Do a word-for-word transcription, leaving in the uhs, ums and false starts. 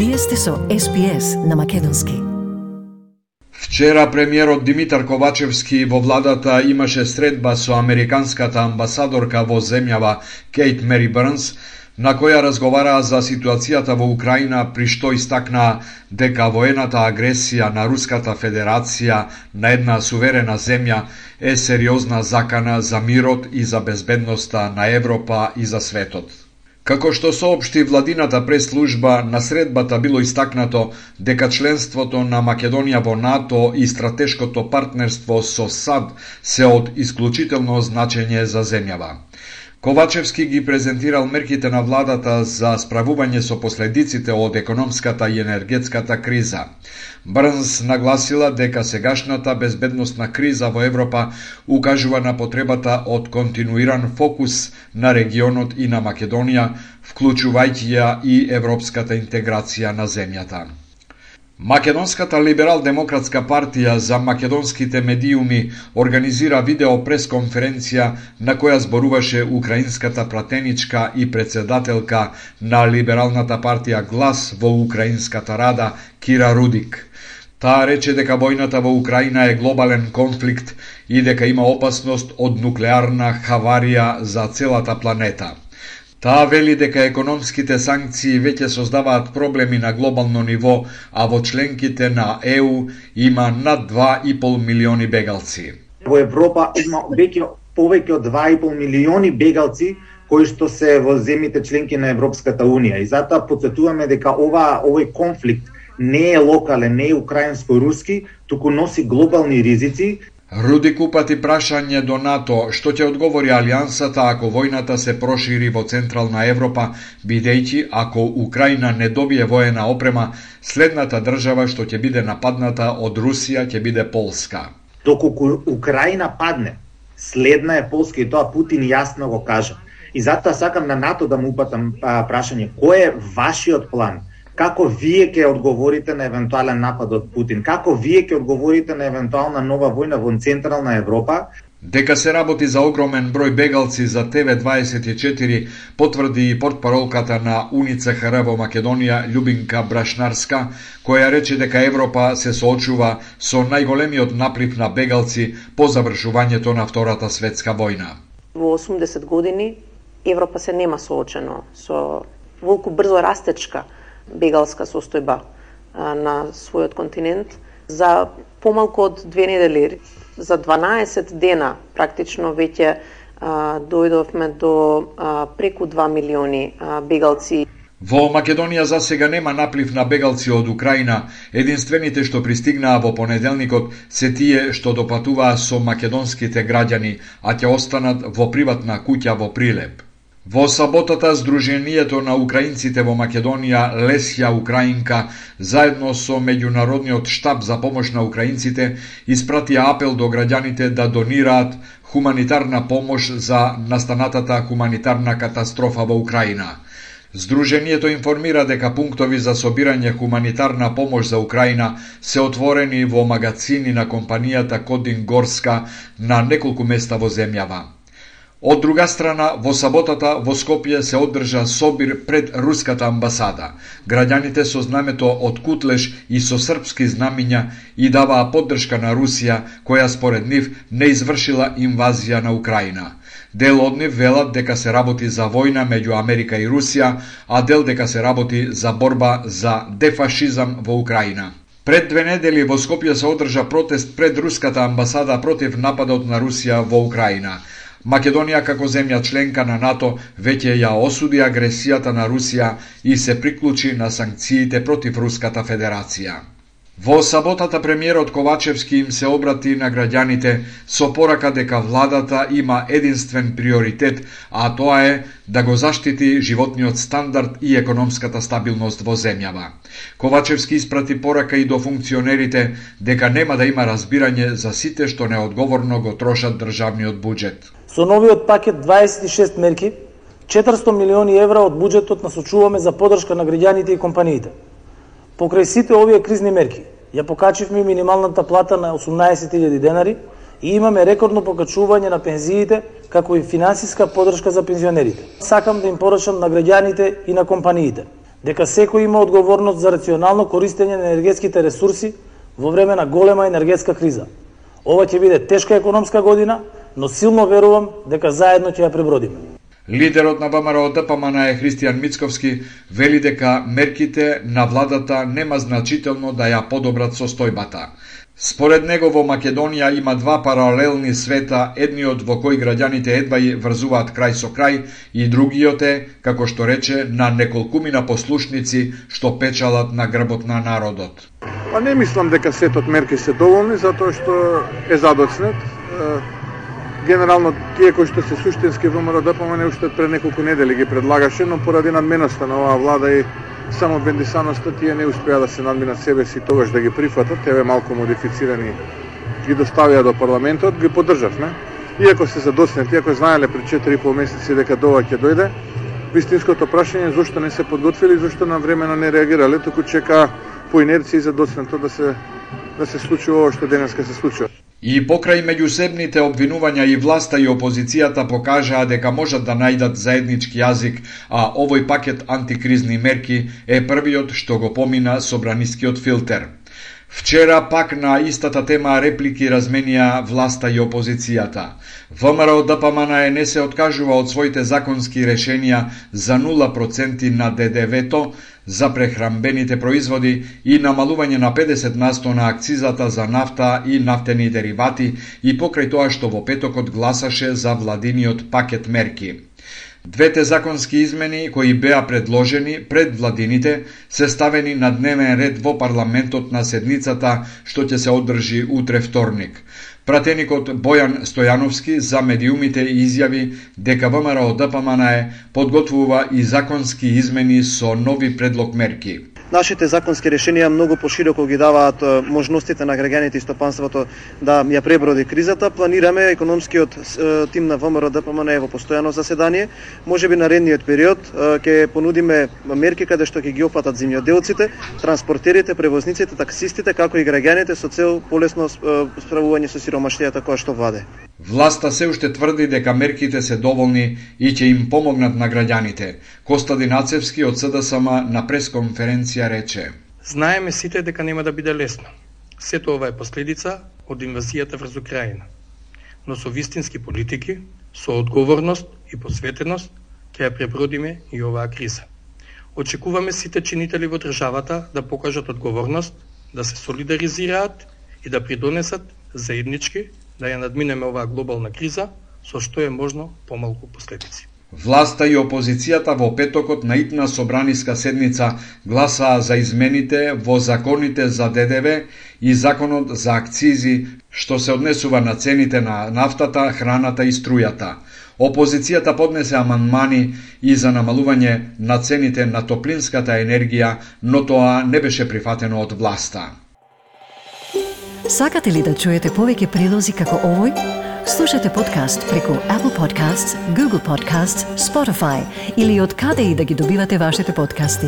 Вие сте со Ес Би Ес на македонски. Вчера премиерот Димитар Ковачевски во владата имаше средба со американската амбасадорка во земјава Кейт Мери Бернс, на која разговараа за ситуацијата во Украина, при што истакнаа дека воената агресија на Руската Федерација на една суверена земја е сериозна закана за мирот и за безбедноста на Европа и за светот. Како што соопшти владината прес-служба, на средбата било истакнато дека членството на Македонија во НАТО и стратешкото партнерство со САД се од исклучително значење за земјава. Ковачевски ги презентирал мерките на владата за справување со последиците од економската и енергетската криза. Бернс нагласила дека сегашната безбедносна криза во Европа укажува на потребата од континуиран фокус на регионот и на Македонија, вклучувајќи ја и европската интеграција на земјата. Македонската либерал-демократска партија за македонските медиуми организира видео пресконференција на која зборуваше украинската пратеничка и председателка на либералната партија Глас во Украинската Рада Кира Рудик. Таа рече дека војната во Украина е глобален конфликт и дека има опасност од нуклеарна хаварија за целата планета. Таа вели дека економските санкции веќе создаваат проблеми на глобално ниво, а во членките на Е У има над два и пол милиони бегалци. Во Европа има веќе повеќе од два и пол милиони бегалци кои што се во земјите членки на Европската Унија. И затоа потсетуваме дека ова овој конфликт не е локален, не е украинско-руски, туку носи глобални ризици. Рудик упати прашање до НАТО што ќе одговори алијансата ако војната се прошири во Централна Европа, бидејќи ако Украина не добие воена опрема, следната држава што ќе биде нападната од Русија ќе биде Полска. Доколку Украина падне, следна е Полска и тоа Путин јасно го кажа. И затоа сакам на НАТО да му упатам прашање, кој е вашиот план? Како вие ќе одговорите на евентуален напад од Путин? Како вие ќе одговорите на евентуална нова војна во Централна Европа? Дека се работи за огромен број бегалци за Те Ве дваесет и четири, потврди и портпаролката на У Н И Ц Х Р во Македонија Љубинка Брашнарска, која рече дека Европа се соочува со најголемиот наплив на бегалци по завршувањето на Втората светска војна. Во осумдесет години Европа се нема соочено со волку брзо растечка бегалска состојба а, на својот континент. За помалку од две недели, за дванаесет дена, практично веќе а, дојдовме до а, преку два милиони а, бегалци. Во Македонија за сега нема наплив на бегалци од Украина. Единствените што пристигнаа во понеделникот се тие што допатуваа со македонските граѓани, а ќе останат во приватна куќа во Прилеп. Во саботата Сдруженијето на украинците во Македонија Лесја Украинка заедно со Меѓународниот штаб за помош на украинците испратија апел до граѓаните да донираат хуманитарна помош за настанатата хуманитарна катастрофа во Украина. Сдруженијето информира дека пунктови за собирање хуманитарна помош за Украина се отворени во магацини на компанијата Кодин Горска на неколку места во земјава. Од друга страна, во саботата во Скопје се одржа собир пред Руската амбасада. Граѓаните со знамето од Кутлеш и со српски знамиња и даваа поддршка на Русија, која според нив не извршила инвазија на Украина. Дел од нив велат дека се работи за војна меѓу Америка и Русија, а дел дека се работи за борба за дефашизам во Украина. Пред две недели во Скопје се одржа протест пред Руската амбасада против нападот на Русија во Украина. Македонија како земја членка на НАТО веќе ја осуди агресијата на Русија и се приклучи на санкциите против Руската Федерација. Во саботата премиерот Ковачевски им се обрати на граѓаните со порака дека владата има единствен приоритет, а тоа е да го заштити животниот стандард и економската стабилност во земјава. Ковачевски испрати порака и до функционерите дека нема да има разбирање за сите што неодговорно го трошат државниот буџет. Со новиот пакет дваесет и шест мерки, четиристотини милиони евра од буџетот насочуваме за поддршка на граѓаните и компаниите. Покрај сите овие кризни мерки, ја покачивме минималната плата на осумнаесет илјади денари и имаме рекордно покачување на пензиите, како и финансиска поддршка за пензионерите. Сакам да им порачам на граѓаните и на компаниите дека секој има одговорност за рационално користење на енергетските ресурси во време на голема енергетска криза. Ова ќе биде тешка економска година, но силно верувам дека заедно ќе ја пребродиме. Лидерот на ВМРО Д П М Н е Христијан Мицковски вели дека мерките на владата нема значително да ја подобрат состојбата. Според него во Македонија има два паралелни света, едниот во кој граѓаните едва и врзуваат крај со крај и другиот е, како што рече, на неколкумина послушници што печалат на грбот на народот. Па не мислам дека сетот мерки се доволни, затоа што е задоцнет. Генерално, тие кои што се суштински ВМРО Д П М Н уште пред неколку недели ги предлагаше, но поради надменоста на оваа влада и само бендисаноста тие не успеа да се надминат себе си тогаш да ги прифатат, еве малку модифицирани ги доставија до парламентот, ги поддржавме. Иако се задоцнети, иако знаеле пред четири и пол месеци дека дова ќе дојде, вистинското прашање е зошто не се подготвили, зошто навремено не реагирале, туку чека по инерција и задоцнето да се да се случи ова што денеска се случува. И покрај меѓусебните обвинувања и власта и опозицијата покажаа дека можат да најдат заеднички јазик, а овој пакет антикризни мерки е првиот што го помина собранискиот филтер. Вчера пак на истата тема реплики разменија власта и опозицијата. ВМРО Д П М Н не се откажува од своите законски решенија за нула проценти на Д Д В-то за прехранбените производи и намалување на педесет на сто на акцизата за нафта и нафтени деривати и покрај тоа што во петокот гласаше за владиниот пакет мерки. Двете законски измени кои беа предложени пред владините се ставени на дневен ред во парламентот на седницата што ќе се одржи утре вторник. Пратеникот Бојан Стојановски за медиумите изјави дека ВМРО Д П М Н подготвува и законски измени со нови предлог мерки. Нашите законски решенија многу пошироко ги даваат можностите на граѓаните и стопанството да ја преброди кризата. Планираме економскиот тим на ВМРО Д П М Н во постојано заседание. Можеби наредниот период ќе понудиме мерки каде што ќе ги опфатат земјоделците, транспортерите, превозниците, таксистите, како и граѓаните со цел полесно справување со сиромаштијата која што владе. Власта се уште тврди дека мерките се доволни и ќе им помогнат на граѓаните. Костадин Ацевски од С Д С М на пресконференција рече: Знаеме сите дека нема да биде лесно. Сето ова е последица од инвазијата врз Украина. Но со вистински политики, со одговорност и посветеност ќе ја пребродиме и оваа криза. Очекуваме сите чинители во државата да покажат одговорност, да се солидаризираат и да придонесат заеднички да ја надминеме оваа глобална криза со што е можно помалку последици. Власта и опозицијата во петокот на итна собраниска седница гласаа за измените во законите за Д Д В и законот за акцизи што се однесува на цените на нафтата, храната и струјата. Опозицијата поднесе амандмани и за намалување на цените на топлинската енергија, но тоа не беше прифатено од власта. Сакате ли да чуете повеќе прилози како овој? Слушате подкаст преку Apple Podcasts, Google Podcasts, Spotify или од каде и да ги добивате вашите подкасти.